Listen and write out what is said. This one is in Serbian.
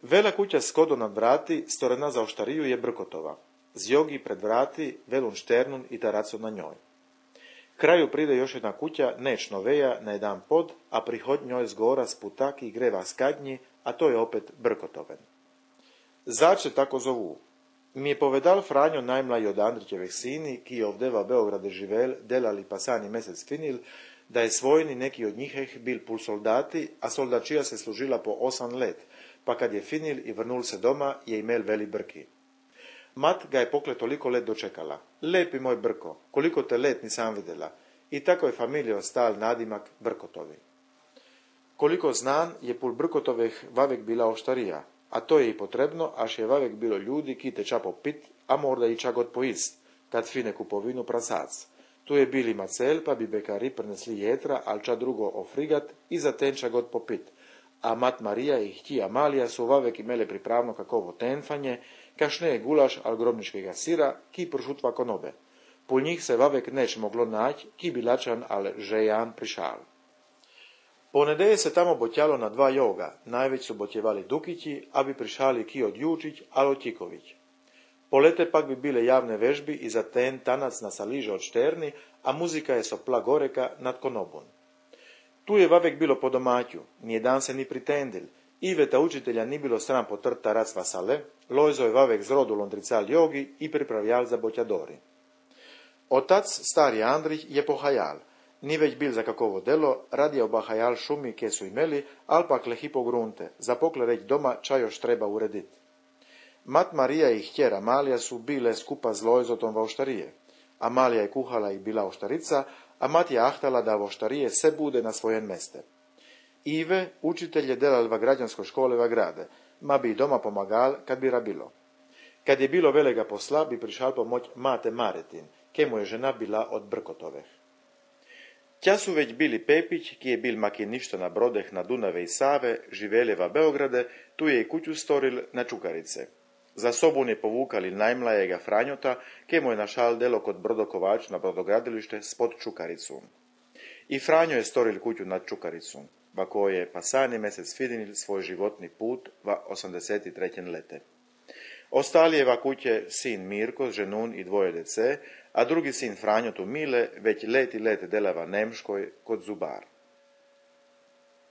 Vela kuća skodo nad vrati, storena za oštariju je Brkotova. Zjogi pred vrati, velun šternun i taraco na njoj. Kraju pride još jedna kuća, neć noveja, na jedan pod, a prihod njoj zgora sputaki greva skadnji, a to je opet Brkotoven. Zač se tako zovu? Mi je povedal Franjo najmlaji od Andrićevih sini, ki je ovdeva Beograde živel, delali pasani mesec finil, da je svojni neki od njiheh bil pul soldati, a soldačija se služila po 8 let, pa kad je finil i vrnul se doma, je imel veli Brki. Mat ga je pokle toliko let dočekala. Lepi moj Brko, koliko te let nisam vidjela. I tako je familija ostal nadimak Brkotovi. Koliko znan je pul Brkotovih vavek bila oštarija, a to je i potrebno, až je vavek bilo ljudi ki te ča popit, a morda i ča god poist, kad fine kupovinu prasac. Tu je bili macel, pa bi bekari prenesli jetra, al ča drugo ofrigat i za ten ča god popit. A mat Marija i hti Amalija su vavek imele pripravno kakovo tenfanje, kašne je gulaš al grobničkega sira, ki pršutva konobe. Pul njih se vavek neć moglo nać, ki bilačan al žejan prišal. Po nedeje se tamo botjalo na 2 joga, najveć su botjevali Dukići, a bi prišali ki od Jučić, al od Tiković. Po lete pak bi bile javne vežbi i za ten tanac na saliže od Šterni, a muzika je sopla goreka nad konobun. Tu je vavek bilo po domaću, nijedan se ni pritendil, Iveta učitelja ni bilo sram potrt tarac vasale, Lojzo je vavek zrodu londrical jogi i pripravljal za botjadori. Otac, stari Andrich, je pohajal, ni već bil za kakovo delo, radija obahajal šumi ke su imeli, al pak lehi po grunte, za pokle reć doma ča još treba uredit. Mat Marija i htjera Amalija su bile skupa z Lojzotom va oštarije. Amalija je kuhala i bila oštarica, a mat je ahtala da oštarije se bude na svojen meste. Ive, učitelj je delal va građansko škole va grade, ma bi i doma pomagal kad bi rabilo. Kad je bilo velega posla, bi prišal pomoć mate Maretin, ke mu je žena bila od Brkotoveh. Tja su već bili Pepić, ki je bil makiništa na brodeh na Dunave i Save, živeli va Beograde, tu je i kuću storil na Čukarice. Za sobun je povukali najmlajega Franjota, ke mu je našal delo kod Brodokovač na brodogradilište spod Čukaricu. I Franjo je storil kuću nad Čukaricu, va koje je pasani mesec fidinil svoj životni put va 83. lete. Ostali je va kuće sin Mirko, ženun i 2 dece, a drugi sin Franjo tu Mile već let i let delava Nemškoj kod Zubar.